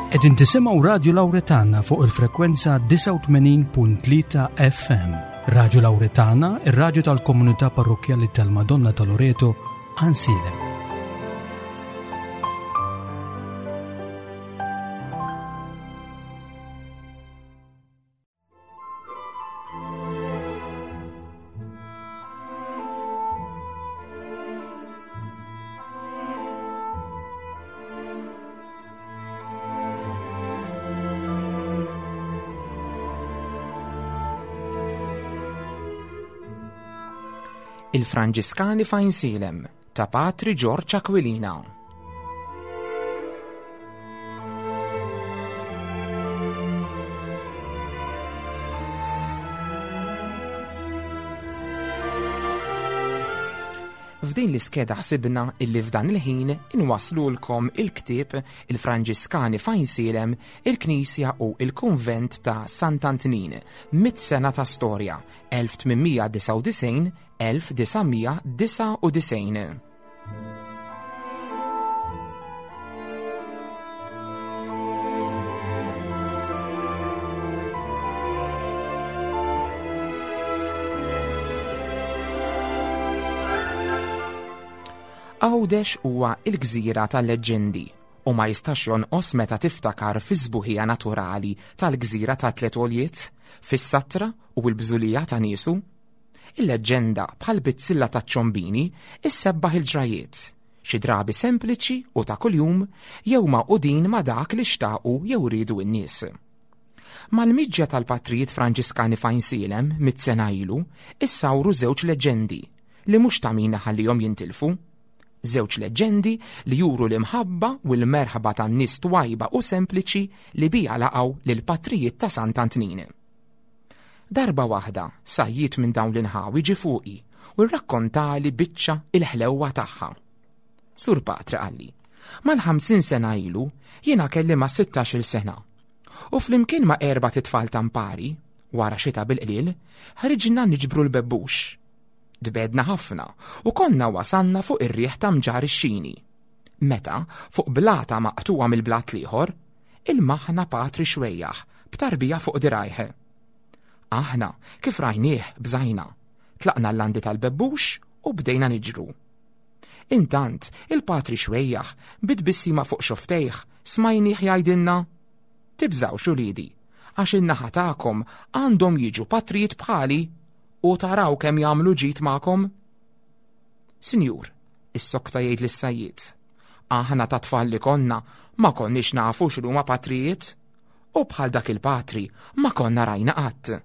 Qegħdin tisimgħu Radju Lawretana fuq il-frekwenza 89.3 FM. Radju Lawretana, ir-radju tal-komunità parrokkjali tal-Madonna ta' Loreto, Ansilem. Il-Franġiskani f'Għajnsielem ta' Patri Ġorġ Aquilina. F'din l-iskeda ħsibna illi f'dan il-ħin inwaslulkom il-ktieb Il-Franġiskani f'Għajnsielem, il-Knisja u il-Kunvent ta' Sant'Antnin, Mitt sena ta' storja, 1899-1999. Għawdex huwa l-gżira tal-leġġendi u ma jistax jonqos meta tiftakar fis-sbuħija naturali tal-gżira ta' Tliet Għoljiet, fis-satra u l-bżulija ta' niesu. Il-leġġenda, bħal bizzilla taċ-ċombini, issebbaħ il-ġrajjiet, xi drabi sempliċi u ta' kuljum jew magħqudin ma' dak li xtaqu jew riedu n-nies. Mal-miġja tal-patrijiet Franġiskani f'Għajnsielem, mitt sena ilu, issawru żewġ leġġendi li mhux ta' min iħallihom jintilfu. Żewġ leġġendi li juru l-imħabba u l-merħba tan-nies twajba u sempliċi li biha laqgħu lill-patrijiet ta' Sant'Antnin. Darba waħda sajjied minn dawn l-inħawi ġie fuqi u rrakkontali biċċa il-ħlewwa tagħha. Sur Patri qalli, mal-50 sena ilu jiena kelli ma' 16-il sena u flimkien ma' erbat itfal ta' mpari, wara xita bil-qliel, ħriġna niġbru l-bebbux. Tbegħdna ħafna u konna wasalna fuq ir-riħ ta' Mġarr ix-Xini. Meta, fuq blata maqtugħa mill-blat l-ieħor, ilmaħna patri xwejjaħ b'tarbija fuq dirgħajh. Aħna, kif rajnieh, bżajna. Tlaqna l-landi tal-bebbux u bdejna niġru. Intant, il-patri xwejjaħ, bi tbissima fuq xofftejh, smajnieh jgħidilna, Tibżgħux uliedi, għax in-naħa tagħkom għandhom jiġu patrijiet bħali u taraw kemm jagħmlu ġid magħkom. Sinjur, issokta jgħid lis-sajjied, aħna ta' tfal li konna ma konniex nafu x'inhuma patrijiet u bħal dak il-patri ma konna rajna qatt.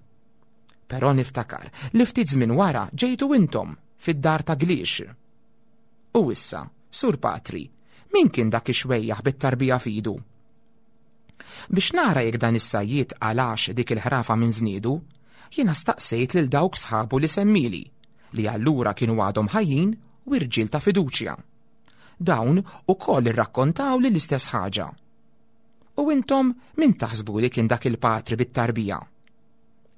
Però niftakar li ftit żmien wara ġejtu intom fid-dar ta' Gliex. U issa, Sur Patri, min kien dak ix-xwejjaħ bit-tarbija f'idu? Biex nara jekk dan is-sajjied qalax dik il-ħrafa minn żniedu, jiena staqsejt lil dawk sħabu li semmieli, li allura kienu għadhom ħajjin u irġiel ta' fiduċja. Dawn ukoll irrakkontawli l-istess ħaġa. U intom min taħsbu li kien dak il-patri bit-tarbija?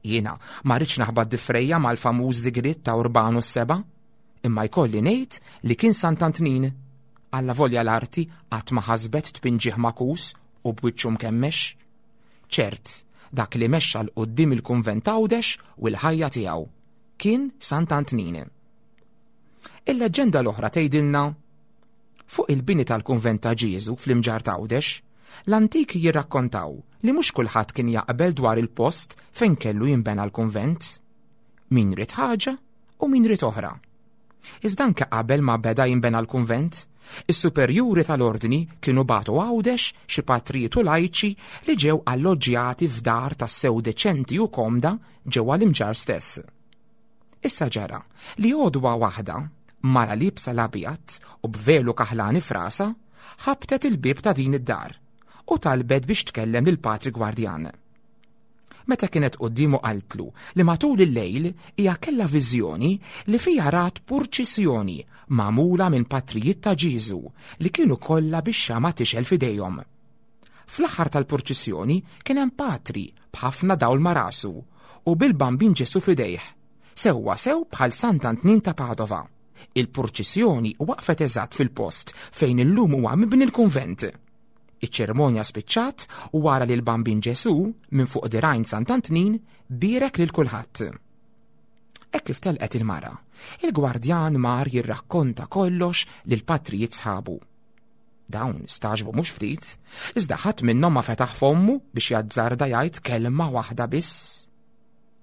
Jiena ma rridx naħbat difrejja mal-famuż digriet ta' Urbanu s-seba', imma jkolli ngħid li kien Sant'Antnin. Allavolja l-arti qatt ma ħasbet tpinġih magħkus u b'wiċċu mkemmex. Ċert, dak li mexxa 'l quddiem il-kunvent Għawdex u l-ħajja tiegħu, kien Sant'Antnin. Il-leġġenda l-oħra tgħidilna Fuq il-bini tal-kunvent ta' Ġieżu fl-Imġarr t'Għawdex, l-antiki jirrakkontaw li mhux kulħadd kien jaqbel dwar il-post fejn kellu jinbena l-kunvent. Min ried ħaġa u min ried oħra. Iżda anke qabel ma beda jinbena l-kunvent, is-superjuri tal-ordni kienu bagħtu Għawdex xi patrijiet u lajċi li ġew alloġġjati f'dar tassew deċenti u komda ġewwa l-Imġarr stess. Issa ġara li għodwa waħda, mara liebsa l-abjad u b'velu kaħlani f'rasha, ħabtet il-bieb ta' din id-dar u talbet biex tkellem lil Patri Gwardjan. Meta kienet quddiemu qaltlu li matul il-lejl hija kellha viżjoni li fiha rat purċissjoni magħmula minn patrijiet ta' Ġieżu li kienu kollha bix-xama' tixgħel f'idejhom. Fl-aħħar tal-purċissjoni kien hemm patri b'ħafna dawl ma' rasu u bil-Bambin Ġesù f'idejh, sewwa sew bħal Sant'Antnin ta' Padova. Il-purċissjoni waqfet eżatt fil-post fejn illum huwa mibni l-kunvent. Iċ-ċerimonja spiċċat wara li l-Bambin Ġesù minn fuq dirgħajn Sant'Antnin bierek lil kulħadd. Hekk kif telqet il-mara, il-gwardjan mar jirrakkonta kollox lill-patrijiet sħabu. Dawn staġbu mhux ftit, iżda ħadd minnhom ma fetaħ fommu biex jazzarda jgħid kelma waħda biss.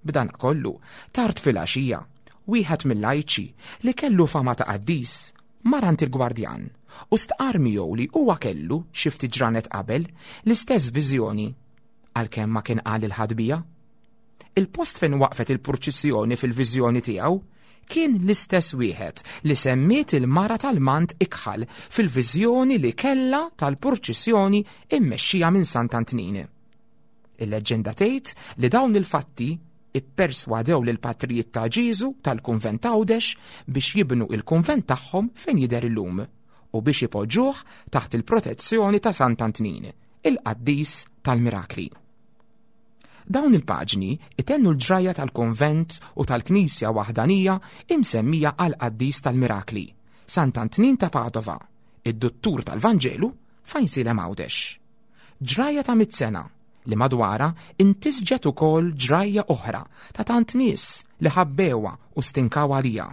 B'dan kollu, tard filgħaxija, wieħed mill-lajċi li kellu fama ta' qaddis mar għand il-gwardjan u stqarr miegħu li huwa kellu xi ftit ġranet qabel l-istess viżjoni għalkemm ma kien qal lil ħadd biha. Il-post fejn waqfet il-purċissjoni fil-viżjoni tiegħu kien l-istess wieħed li semmiet il-mara tal-mant ikħal fil-viżjoni li kellha tal-purċissjoni immexxija minn Sant'Antnin. Il-leġġenda tgħid li dawn il-fatti ipperswadew lill-patrijiet ta' Ġieżu tal-kunvent Għawdex biex jibnu il-kunvent tagħhom fejn jidher illum u biex ipoġġuh taħt il-protezzjoni ta' Sant'Antnin, il-qaddis tal-mirakli. Dawn il-paġni itennu l-ġrajja tal-kunvent u tal-knisja waħdanija imsemmija għall-qaddis tal-mirakli, Sant'Antnin ta' Padova, id-duttur tal-Vanġelu f'Għajnsielem Għawdex. Ġrajja ta' mit sena li madwarha intisġet ukoll ġrajja oħra ta' tant nies li ħabbewha u stinkaw għaliha.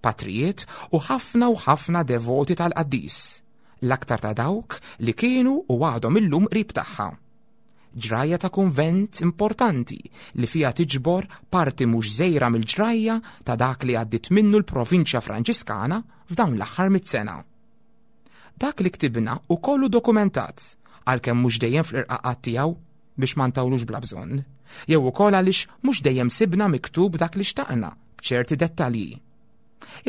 Patrijiet u ħafna u ħafna devoti tal-qaddis, l-aktar ta' dawk li kienu u għadhom illum qrib tagħha. Ġrajja ta' kunvent importanti li fiha tiġbor parti mhux żgħira mill-ġrajja ta' dak li għaddiet minnu l-provinċja Franġiskana f'dawn l-aħħar mit sena. Dak li ktibna hu kollu dokumentat, għalkemm mhux dejjem fl-irqaqat tiegħu biex ma ntawlux bla bżonn, jew ukoll għaliex mhux dejjem sibna miktub dak li xtaqna b'ċerti dettalji.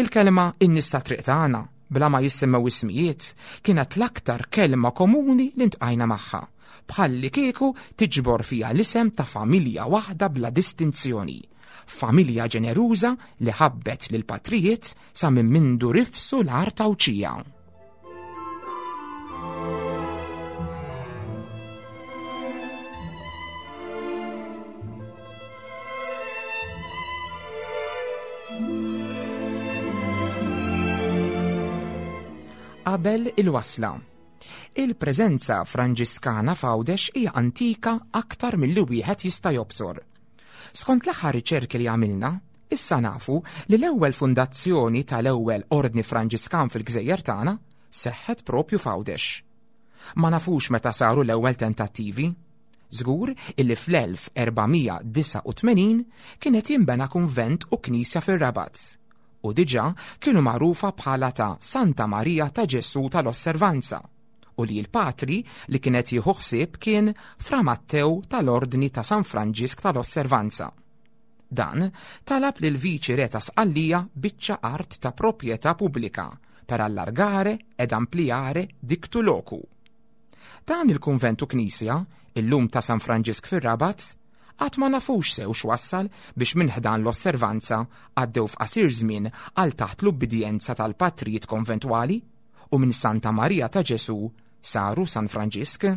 Il-kelma in-nies ta' triq tagħna, bla ma jissemmew ismijiet, kienet l-aktar kelma komuni li ntqajna magħha, bħallikieku tiġbor fiha l-isem ta' familja waħda bla distinzjoni, familja ġeneruża li ħabbet lill-patrijiet sa minn mindu rifsu l-art Għawdxija. Qabel il-wasla. Il-preżenza Franġiskana f'Għawdex hija antika aktar milli wieħed jista' jobsor. Skont l-aħħar riċerki li għamilna, issa nafu li l-ewwel fundazzjoni tal-ewwel Ordni Franġiskan fil-gżejjer tagħna seħħet propju f'Għawdex. Ma nafux meta saru l-ewwel tentattivi. Żgur illi fl-1489 kien qed jinbena kunvent u knisja fir-Rabat u diġà kienu magħrufa bħala ta' Santa Marija ta' Ġesù tal-Osservanza u li l-patri li kien qed jieħu ħsieb kien Fra Mattew tal-Ordni ta' San Franġisk tal-Osservanza. Dan talab lil viċi re ta' Sqallija biċċa art ta' proprjetà pubblika per allargare ed ampliare dictu locu. Dan il-kunvent u knisja, illum ta' San Franġisk fir-Rabat, għad ma nafux sew x'wassal biex minn ħdan l-osservanza għaddew f'qasir żmien għal taħt l-ubbidjenza tal-patrijiet konventwali u minn Santa Marija ta' Ġesù saru San Franġisk.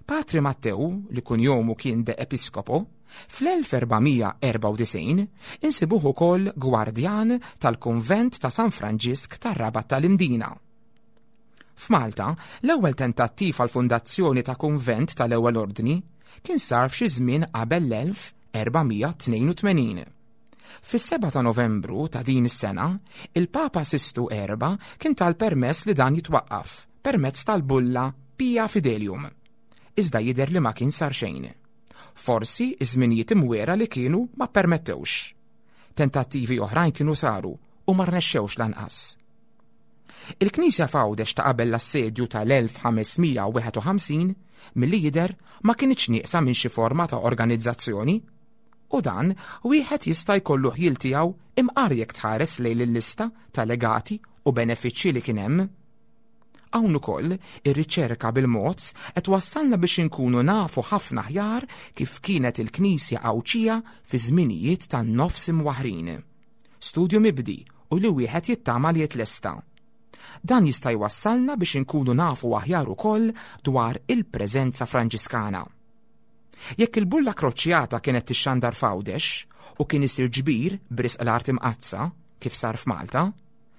Patri Mattew, li kunjomu kien de Episcopo, fl-1494 insibuh ukoll gwardjan tal-kunvent ta' San Franġisk tar-Rabat tal-Imdina. F'Malta, l-ewwel tentattiv għall-fundazzjoni ta' kunvent tal-ewwel ordni kien sar f'xi żmien qabel l-1482. Fis-7 ta' Novembru ta' din is-sena, il-Papa Sistu Erba' kien ta l-permess li dan jitwaqqaf permezz tal-bulla Pia Fidelium. Iżda jidher li ma kien sar xejn. Forsi ż-żminijiet imwiegħra li kienu ma ppermettewx. Tentattivi oħrajn kienu saru u ma rnexxewx lanqas. Il-knisja f'Għawdex ta' qabel l-assedju tal-1551 milli jidher ma kinitx nieqsa minn xi forma ta' organizzazzjoni. U dan wieħed jista' jkollu ħjiel tiegħu imqar jekk tħares lejn il-lista ta' legati u benefiċċji li kien hemm. Hawn ukoll, ir-riċerka bil-mod qed twassalna biex inkunu nafu ħafna aħjar kif kienet il-Knisja Għawdxija fi żminijiet tan-nofs imwaħħrin. Studju mibdi u li wieħed jittama li jitlesta. Dan jista' jwassalna biex inkunu nafu aħjar ukoll dwar il-preżenza Franġiskana. Jekk il-bulla kroċjata kienet tixxandar f'Għawdex u kien isir ġbir b'risq l-Art Imqaddsa, kif sar f'Malta,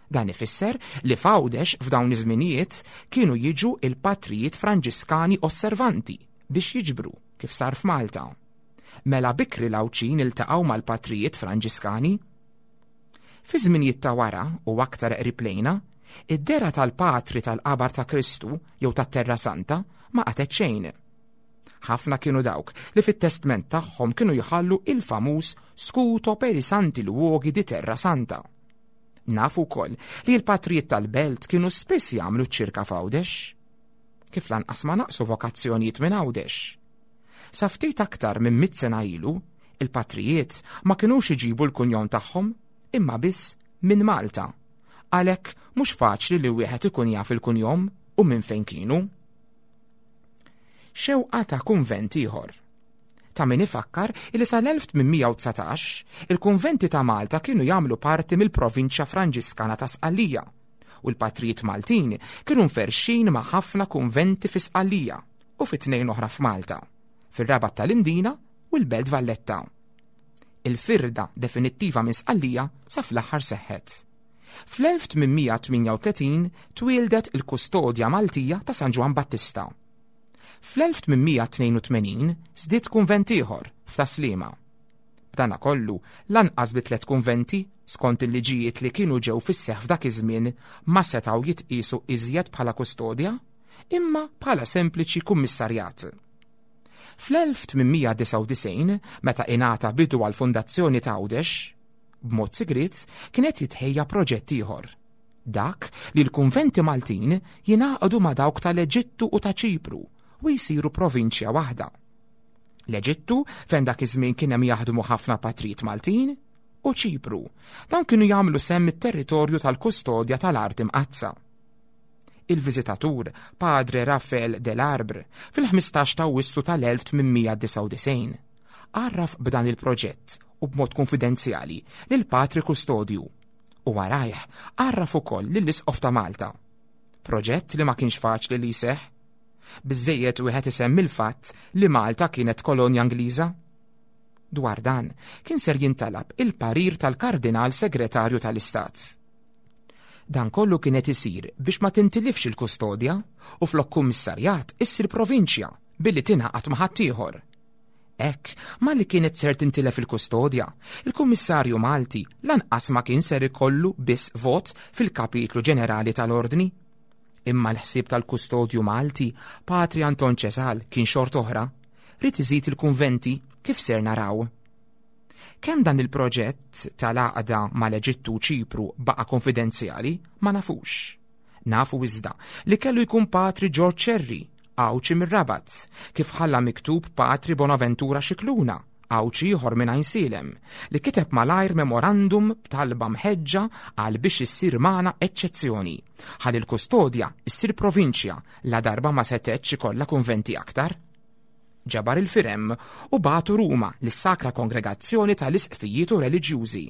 Dan ifisser li f'Għawdex f'dawn iż-żminijiet kienu jiġu il-patrijiet Franġiskani Osservanti biex jiġbru, kif sar f'Malta. Mela bikri l-Għawdxin iltaqgħu mal-patrijiet Franġiskani. Fi żminijiet ta' wara u aktar qrib lejna, id-dehra tal-patri tal-Qabar ta' Kristu jew tat-Terra Santa ma qatgħet xejn. Ħafna kienu dawk li fit-testment tagħhom kienu jħallu il-famuż Scuto per i Santi Luoghi di Terra Santa. Nafu wkoll li l-patrijiet tal-belt kienu spiss jagħmlu ċ-ċirka f'Għawdex. Kif lanqas ma naqsu vokazzjonijiet minn Għawdex. Sa ftit aktar minn mitt sena ilu, il-patrijiet ma kinux iġibu l-kunjom tagħhom, imma biss minn Malta. Għalhekk mhux faċli li wieħed ikun jaf il-kunjom u minn fejn kienu. Xewqa ta' kunvent ieħor. Ta' min ifakkar li sal-1819 il-kunventi ta' Malta kienu jagħmlu parti mill-provinċja Franġiskana ta' Sqallija u l-patrijiet Maltin kienu mferrxin ma' ħafna kunventi fi Sqallija u fi tnejn oħra f'Malta, fir-Rabat tal-Imdina u l-Belt Valletta. Il-firda definittiva minn Sqallija sa fl-aħħar seħħet. Fl-1838 twieldet il-Kustodja Maltija ta' San Ġwann Battista. Fl-1882 żdied kunvent ieħor f'Tas-Sliema. B'danakollu, lanqas bi tliet kunventi, skont il-liġijiet li kienu ġew fis-seħħ f'dak iż-żmien, ma setgħu jitqiesu iżjed bħala kustodja, imma bħala sempliċi kummissarjat. Fl-1899, meta ingħata bidu għall-fundazzjoni ta' Għawdex, b'mod sigriet kien qed jitħejja proġett ieħor. Dak li l-kunventi Maltin jingħaqdu ma' dawk tal-Eġittu u ta' Ċipru u jsiru provinċja waħda. L-Eġittu, fejn dak iż-żmien kien hemm jaħdmu ħafna patrijiet Maltin, u Ċipru, dawn kienu jagħmlu sehem mit-territorju tal-kustodja tal-Art Imqaddsa. Il-viżitatur, Padre Raphael Delarbre, fil-15 ta' Awwissu tal-1899, għarraf b'dan il-proġett u b'mod kunfidenzjali lil Patri Kustodju u warajh għarraf ukoll lill-Isqof ta' Malta. Proġett li ma kienx faċli li jseħħ. Biżżejjed wieħed isemmi l-fatt li Malta kienet kolonja Ingliża. Dwar dan kien ser jintalab il-parir tal-Kardinal Segretarju tal-Istat. Dan kollu kien qed isir biex ma tintilifx il-kustodja u flok kummissarjat issir provinċja billi tingħaqad ma' ħaddieħor. Hekk, malli kienet ser tintilef il-kustodja, il-Kummissarju Malti lanqas ma kien ser ikollu biss vot fil-Kapitlu Ġenerali tal-Ordni. Imma l-ħsieb tal-Kustodju Malti, Patri Anton Ċesal, kien xort'oħra, ried iżid il-kunventi kif ser naraw. Kemm dan il-proġett tal-għaqda mal-Eġittu u Ċipru baqa' konfidenzjali, ma nafux. Nafu iżda li kellu jkun Patri Ġorġ Scerri, Għawdxi mir-Rabat, kif ħalla miktub Patri Bonaventura Scicluna, Għawdxi ieħor minn Għajnsielem, li kiteb malajr memorandum b'talba mħeġġa għal biex issir magħna eċċezzjoni, ħalli l-Kustodja ssir provinċja ladarba ma setgħetx ikollha kunventi aktar. Ġabar il-firem u bagħtu Ruma lis-Sacra Kongregazzjoni tal-Isqfijiet u Reliġjużi.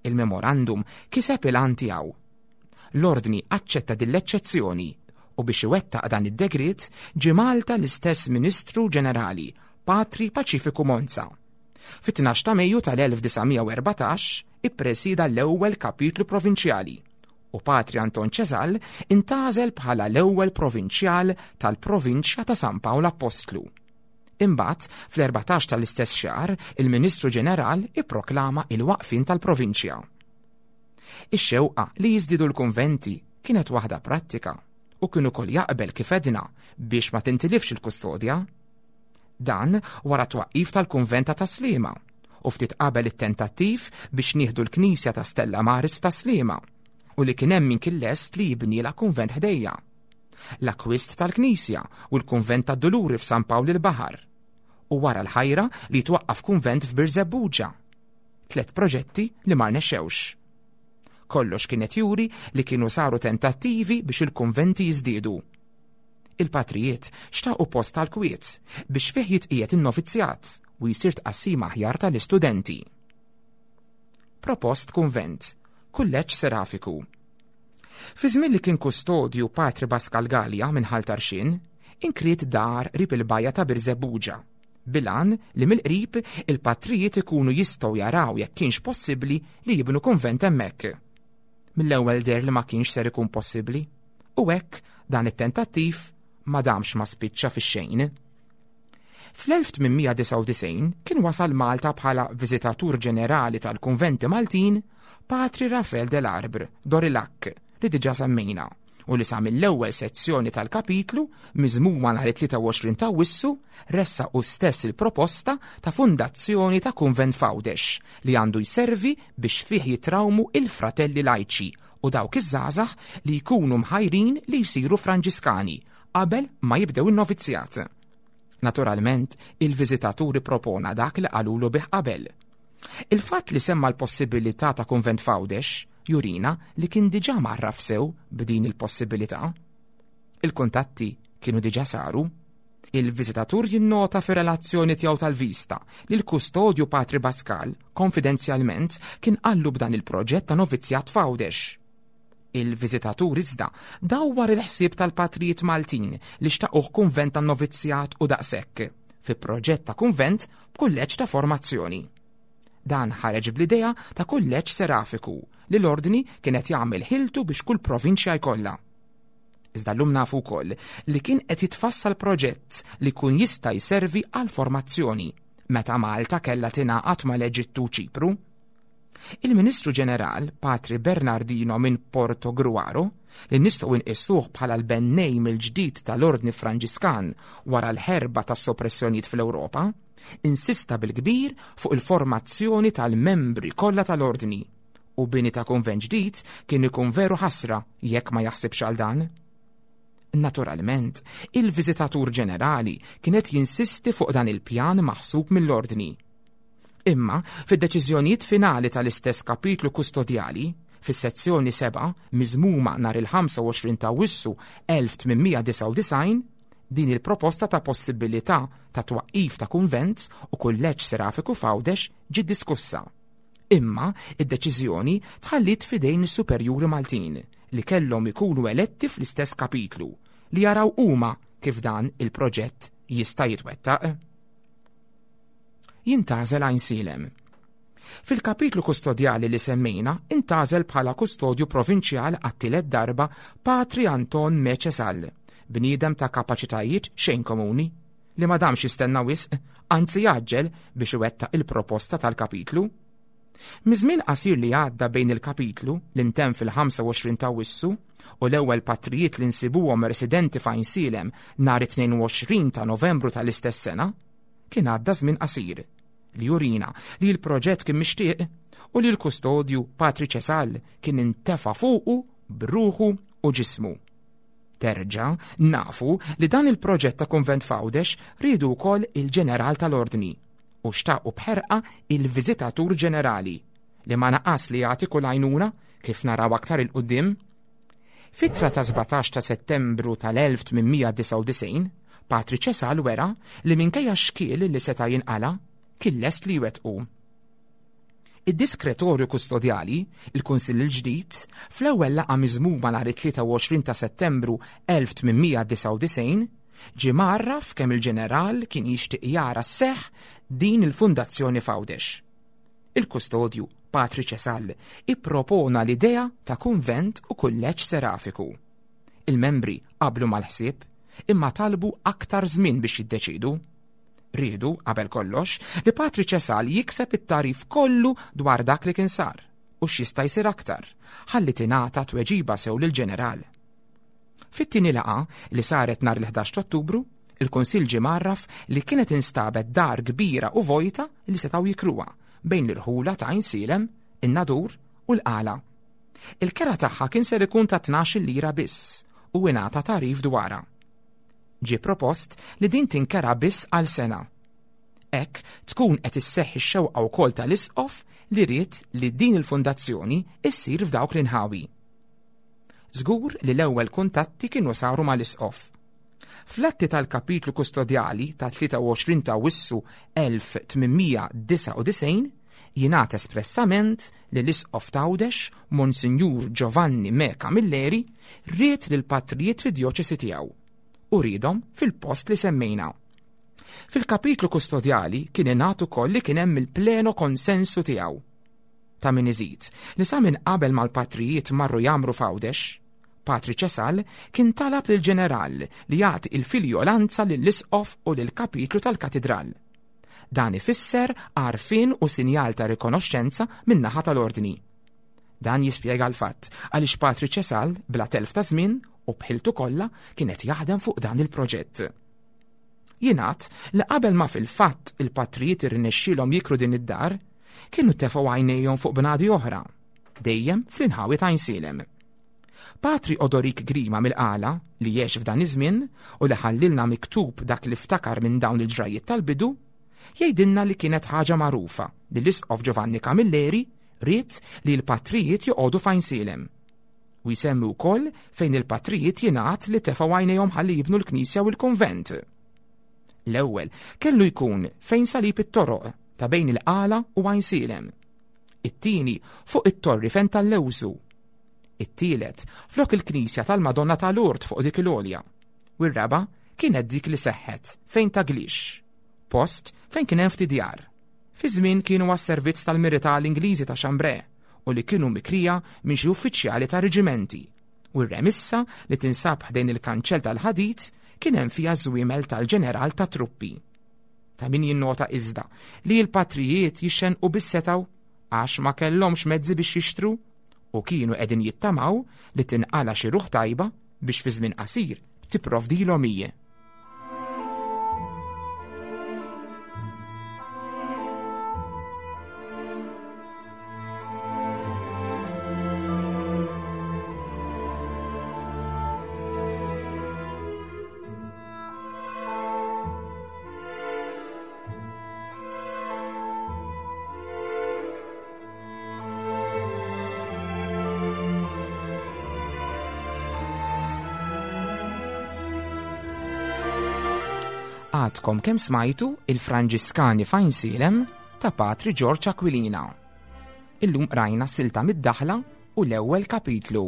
Il-memorandum kiseb il-għan tiegħu. L-Ordni aċċetta din l-eċċezzjoni u biex iwettaq dan id-degriet ġie Malta l-istess Ministru Ġenerali, Patri Paċifiku Monza. Fit-12 ta' Mejju tal-1914 ippresieda l-ewwel Kapitlu Provinċjali u Patri Anton Ċesal intgħażel bħala l-ewwel Provinċjal tal-Provinċja ta' San Pawl Appostlu. Imbagħad, fl-14 tal-istess xahar, il-Ministru Ġeneral ipproklama il-waqfien tal-Provinċja. Ix-xewqa li jiżdiedu l-kunventi kienet waħda prattika u kien ukoll jaqbel kif għedna biex ma tintilifx il-kustodja. Dan wara t-twaqqif tal-kunvent ta' Tas-Sliema u ftit qabel it-tentattiv biex nieħdu l-knisja ta' Stella Maris f'Tas-Sliema u li kien hemm min kien lest li jibnilha kunvent ħdejja. L-akkwist tal-knisja u l-kunvent tad-Duluri f'San Pawl il-Baħar u wara l-ħajra li jitwaqqaf kunvent f'Birżebbuġa. Tlet proġetti li ma rnexxewx. Kollox kien qed juri li kienu saru tentattivi biex il-kunventi jiżdiedu. Il-patrijiet xtaqu post tal-kwiet biex fih jitqiegħed in-novizzjat u jsir tqassim aħjar tal-istudenti. Propost kunvent, kulleġġ serafiku. Fi żmien li kien kustodju Patri Pascal Galea minn Ħal Tarxien, inkriet dar qrib il-bajja ta' Birżebbuġa bil-għan li mill-qrib il-patrijiet ikunu jistgħu jaraw jekk kienx possibbli li jibnu kunvent hemmhekk. Mill-ewwel deher li ma kienx ser ikun possibbli, u hekk dan it-tentattiv ma damx ma spiċċa fix-xejn. Fl-1899 kien wasal Malta bħala Viżitatur Ġenerali tal-Kunventi Maltin Patri Rafel de l'Arbre d'Orillac li diġà semmejna u li sa mill-ewwel sezzjoni tal-kapitlu miżmuma nhar it-23 ta' Awwissu ressaq hu stess il-proposta ta' fundazzjoni ta' kunvent f'Għawdex li għandu jservi biex fih jitrawmu il-fratelli lajċi u dawk iż-żgħażagħ li jkunu mħajrin li jsiru Franġiskani qabel ma jibdew in-novizzjat. Naturalment, il-viżitatur ippropona dak li qalulu bih qabel. Il-fatt li semma l-possibilità ta' kunvent f'Għawdex jurina li kien diġà mgħarraf sew b'din il-possibilità. Il-kuntatti kienu diġà saru. Il-viżitatur jinnota fir-relazzjoni tiegħu tal-vista li l-kustodju Patri Bascal konfidenzjalment kien qallu b'dan il-proġett ta' novizzjat f'Għawdex. Il-viżitatur iżda dawwar il-ħsieb tal-patrijiet Maltin li xtaquh kunvent tan-novizzjat u daqshekk, fi proġett ta' kunvent b'kulleġġ ta' formazzjoni. Dan ħareġ bl-idea ta' kulleġġ serafiku li l-Ordni kien qed jagħmel ħiltu biex kull provinċja jkollha. Iżda llum nafu wkoll li kien qed jitfassal proġett li jkun jista' jservi għall-formazzjoni meta Malta kellha tingħaqad mal-Eġittu u Ċipru. Il-Ministru Ġeneral, Patri Bernardino minn Portogruaro, li nistgħu nqisuh bħala l-bennej mill-ġdid tal-Ordni Franġiskan wara l-ħerba tas-soppressjonijiet fl-Ewropa, insista bil-kbir fuq il-formazzjoni tal-membri kollha tal-Ordni, u bini ta' kunvent ġdid kien ikun veru ħasra jekk ma jaħsibx għal dan. Naturalment, il-Viżitatur Ġenerali kien qed jinsisti fuq dan il-pjan maħsub mill-Ordni. Imma, fid-deċiżjonijiet finali tal-istess kapitlu kustodjali, fis-sezzjoni 7, miżmuma nhar il-25 ta' Awwissu 1899, din il-proposta ta' possibilità ta' twaqqif ta' kunvent u kulleġġ serafiku f'Għawdex ġiet diskussa. Imma id-deċiżjoni tħalliet f'idejn is-superjuri Maltin li kellhom ikunu eletti fl-istess kapitlu li jaraw huma kif dan il-proġett jista' jitwettaq. Jintgħażel Għajnsielem. Fil-kapitlu kustodjali li semmejna intgħażel bħala kustodju provinċjal għat-tielet darba Patri Anton Meċesal, bniedem ta' kapaċitajiet xejn komuni, li ma damx jistenna wisq, anzi għaġġel biex iwettaq il-proposta tal-kapitlu. Miż-żmien qasir li għadda bejn il-kapitlu li ntemm fil-25 ta' Awwissu u l-ewwel patrijiet li nsibuhom residenti f'Għajnsielem nhar it-22 ta' Novembru tal-istess sena, kien għadda żmien qasir li jurina li l-proġett kien mixtieq u li l-kustodju Patri Ċesal kien intefa' fuqu b'ruħu u ġismu. Terġa' nafu li dan il-proġett ta' kunvent f'Għawdex riedu wkoll il-Ġeneral tal-Ordni u xtaqu b'ħerqa il-Viżitatur Ġenerali li ma naqas li jagħti kull għajnuna kif naraw aktar 'il quddiem. F'ittra ta' 17 ta' Settembru tal-1899, Patri Ċesal wera li minkejja x-xkiel li seta' jinqala', kien lest li jwettqu. Id-Diskretorju Kustodjali, il-Kunsill il-ġdid, fl-ewwel laqgħa miżmuma nhar it-23 ta' Settembru 1899, ġie mgħarraf kemm il-Ġeneral kien jixtieq jara sseħħ din il-fundazzjoni f'Għawdex. Il-Kustodju, Patri Ċesal, ippropona l-idea ta' kunvent u kulleġġ serafiku. Il-membri qablu mal-ħsieb, imma talbu aktar żmien biex jiddeċiedu. Riedu, qabel kollox, li Patri Ċesal jikseb it-tagħrif kollu dwar dak li kien sar u x'jista' jsir aktar, ħalli tingħata tweġiba sew lill-Ġeneral. Fit-tieni laqgħa, li saret nhar il-11 t'Ottubru, il-Kunsill ġie mgħarraf li kienet instabet dar kbira u vojta li setgħu jikruha bejn l-irħula ta' Għajnsielem, in-Nadur u l-Qala. Il-kera tagħha kien ser ikun ta' tnax-il lira biss u ingħata tagħrif dwarha. Ġie propost li din tinkera biss għal sena. Hekk tkun qed isseħħ ix-xewqa wkoll tal-Isqof li ried li din il-fundazzjoni issir f'dawk l-inħawi. Żgur li l-ewwel kuntatti kienu saru mal-Isqof. Fl-atti tal-Kapitlu Kustodjali ta' 23 ta' Awwissu 1899 jingħad espressament li l-Isqof t'Għawdex, Monsinjur Giovanni Me Camilleri, ried lill-patrijiet fid-djoċesi tiegħu u riedhom fil-post li semmejna. Fil-kapitlu kustodjali kien ingħad ukoll li kien hemm il-pleno konsensu tiegħu. Ta' min iżid li sa minn qabel ma l-patrijiet marru jgħammru f'Għawdex, Patri Ċesal kien talab lill-ġeneral li jagħti l-filjolanza lill-isqof u lill-kapitlu tal-katidral. Dan ifisser għarfien u sinjal ta' rikonoxxenza min-naħa tal-Ordni. Dan jispjega l-fatt għaliex Patri Ċesal bla telf ta' żmien u b'ħiltu kollha kien qed jaħdem fuq dan il-proġett. Jingħad li qabel ma fil-fatt il-patrijiet irnexxielhom jikru din id-dar, kienu tefgħu għajnejhom fuq bnadi oħra, dejjem fl-inħawi ta' Għajnsielem. Patri Odorik Grima mill-Qala, li għex f'dan iż-żmien u li ħallilna miktub dak li ftakar minn dawn il-ġrajjiet tal-bidu, jgħidilna li kienet ħaġa magħrufa li l-Isqof Giovanni Camilleri ried li l-patrijiet joqogħdu f'Għajnsielem. U jsemmi wkoll fejn il-patrijiet jingħad li tefgħu għajnejhom ħalli jibnu l-knisja u l-kunvent. L-ewwel kellu jkun fejn salib it-toroq ta' bejn il-Qala u Għajnsielem. It-tieni fuq it-torri fejn tal-Lewżu. It-tielet flok il-knisja tal-Madonna ta' Lourdes fuq dik il-għolja. U r-raba' kienet dik li seħħet fejn ta' Glix, post fejn kien hemm ftit djar. Fi żmien kienu għas-servizz tal-militari Ingliżi ta' Chambray u li kienu mikrija minn xi uffiċjali ta' reġimenti, u r-remissa li tinsab ħdejn il-kanċell tal-ħadid kien hemm fiha ż-żwiemel tal-ġeneral tat-truppi. Ta' min jinnota iżda li l-patrijiet jixxennqu biss setgħu għax ma kellhomx mezzi biex jixtru u kienu qegħdin jittamaw li tinqala' xi ruħ tajba biex fi żmien qasir tipprovdilhom hi. Għadkom kemm smajtu il-Franġiskani f'Għajnsielem ta' Patri Ġorġ Aquilina. Illum qrajna silta mid-daħla u l-ewwel kapitlu.